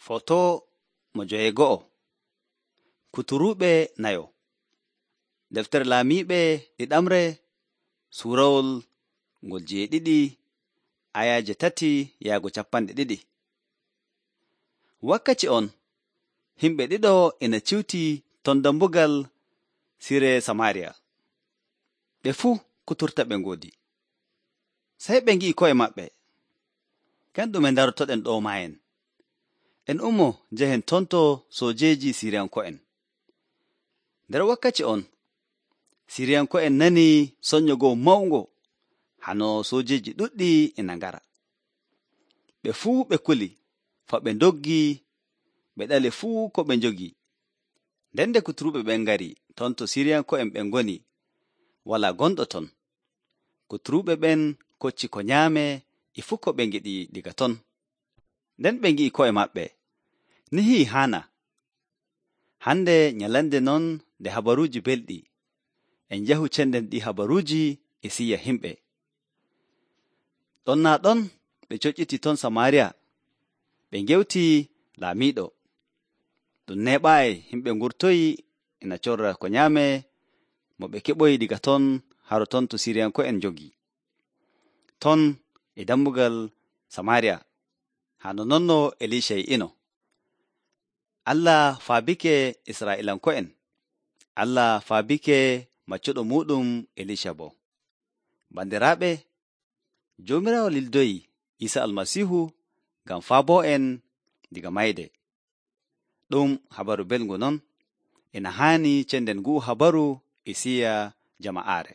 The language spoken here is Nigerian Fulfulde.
Foto mo joweego'o. Kuturuuɓe nayo. Deftere Laamiiɓe ɗiɗamre suurawol ngol 7 ayaaje 3 yaago 2. Wakkati on, himɓe ɗiɗo ina ciwti ton dambugal sire Samaariya. Ɓe fuu kuturta ɓe ngoodi. Sey ɓe ngi'i ko'e maɓɓe. Ken ɗume ndarotoɗen ɗo maayen? En ummo njehen tonto soojeeji Siriyanko'en. Nder wakkati on, Siriyanko'en nani soño goo mawngo, hano soojeeji ɗuɗɗi ina ngara. Ɓe fuu ɓe kuli, fa ɓe ndoggi, ɓe ɗali fuu ko ɓe njogi. Nden nde kuturuɓe ɓen ngari, tonto Siriyanko'en ɓen ngoni, walaa gonɗo ton. Kuturuɓe ɓen kocci ko nyaame e fuu ko ɓe ngiɗi diga ton. Nden ɓe ngi'i ko'e maɓɓe, nihi haana. Hande nyalande non nde habaruuji belɗi, en njahu cenden ɗi habaruuji e siya himɓe. Ɗon naa ɗon ɓe coƴƴiti ton Samaariya, ɓe ngewti laamiiɗo. Ɗum neeɓaayi himɓe ngurtoyi ina corra ko nyaame mo ɓe keɓoyi diga ton haro ton to Siriyanko'en njogi. Ton e dammugal Samaariya, hano nonno Elisha ino. Allah faabike Israa'iilanko'en. Allah faabike maccuɗo muɗum Elisha bo. Bandiraaɓe, Joomiraawo lildoyi Iisa Almasiihu ngam faabo'en diga mayde. Ɗum habaru belngu non, ina haani cenden ngu'u habaru e siya jama'aare.